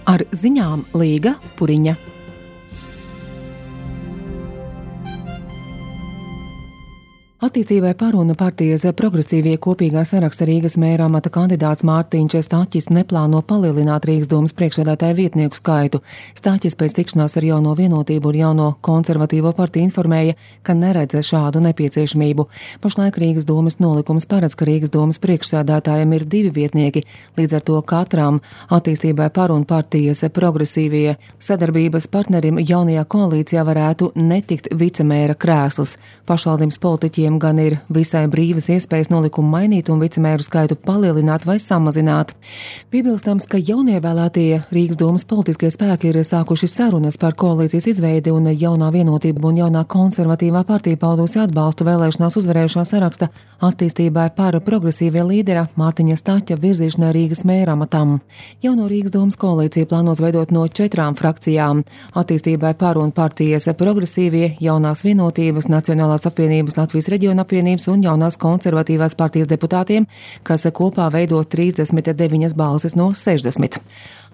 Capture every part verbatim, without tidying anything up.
Ar ziņām Līga Puriņa. Attīstībai par un partijas progresīvie kopīgā saraksta Rīgas mēra amata kandidāts Mārtiņš Staķis neplāno palielināt Rīgas domas priekšsēdētāja vietnieku skaitu. Staķis pēc tikšanās ar Jauno Vienotību un Jauno konservatīvo partiju informēja, ka neredz šādu nepieciešamību. Pašlaik Rīgas domas nolikums paredz, ka Rīgas domas priekšsēdētājiem ir divi vietnieki, līdz ar to katram attīstībai par un partijas progresīvie sadarbības partnerim jaunajā koalīcijā varētu netikt vicemēra krēsls. Pašvaldības politiķiem gan ir visai brīvas iespējas nolikumu mainīt un vicemēru skaitu palielināt vai samazināt. Piebilstams, ka jaunievēlētie Rīgas domas politiskie spēki ir sākuši sarunas par koalīcijas izveidi un Jaunā Vienotība un Jaunā konservatīvā partija paudusi atbalstu vēlēšanās uzvarējušā saraksta attīstībai par progresīvie līdera Mārtiņa Staķa virzīšanai Rīgas mēra amatam. Jauno Rīgas domas koalīcija plānos veidot no četrām frakcijām - attīstībai par un partijas progresīvie, Jaunās Vienotības, Nacionālās apvienības, Latvijas reģiona apvienības un Jaunās konservatīvās partijas deputātiem, kas kopā veido trīsdesmit deviņas balsis no sešdesmit.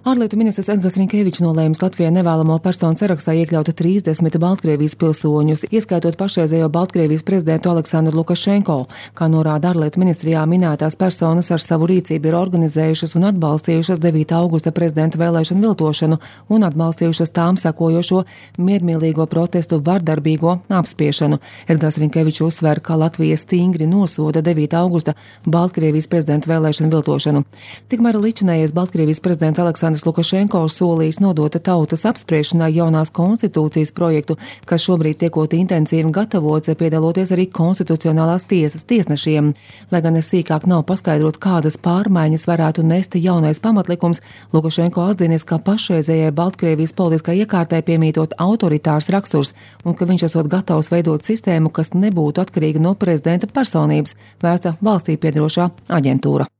Ārlietu ministrs Edgars Rinkēvičs nolēmis Latvijai nevēlamo personu sarakstā iekļaut trīsdesmit Baltkrievijas pilsoņus, ieskaitot pašreizējo Baltkrievijas prezidentu Aleksandru Lukašenko. Kā norāda ārlietu ministrijā, minētās personas ar savu rīcību ir organizējušas un atbalstījušas devītā augusta prezidenta vēlēšanu viltošanu un atbalstījušas tām sekojošo miermīlīgo protestu vardarbīgo apspiešanu. Edgars Rinkēvičs uzsver, ka Latvija stingri nosoda devītā augusta Baltkrievijas prezidenta vēlēšanu viltošanu. Tikmēr līdzinājais Baltkrievijas prezidents Aleksandrs Lukašenko solījis nodot tautas apspriešanai jaunās konstitūcijas projektu, kas šobrīd tiekot intensīvi gatavots, piedaloties arī konstitucionālās tiesas tiesnešiem. Lai gan sīkāk nav paskaidrots, kādas pārmaiņas varētu nest jaunais pamatlikums, Lukašenko atzinis, ka pašreizējai Baltkrievijas politiskai iekārtai piemītot autoritārs raksturs un ka viņš esot gatavs veidot sistēmu, kas nebūtu atkarīga no prezidenta personības, vēsta valstī piederošā aģentūra.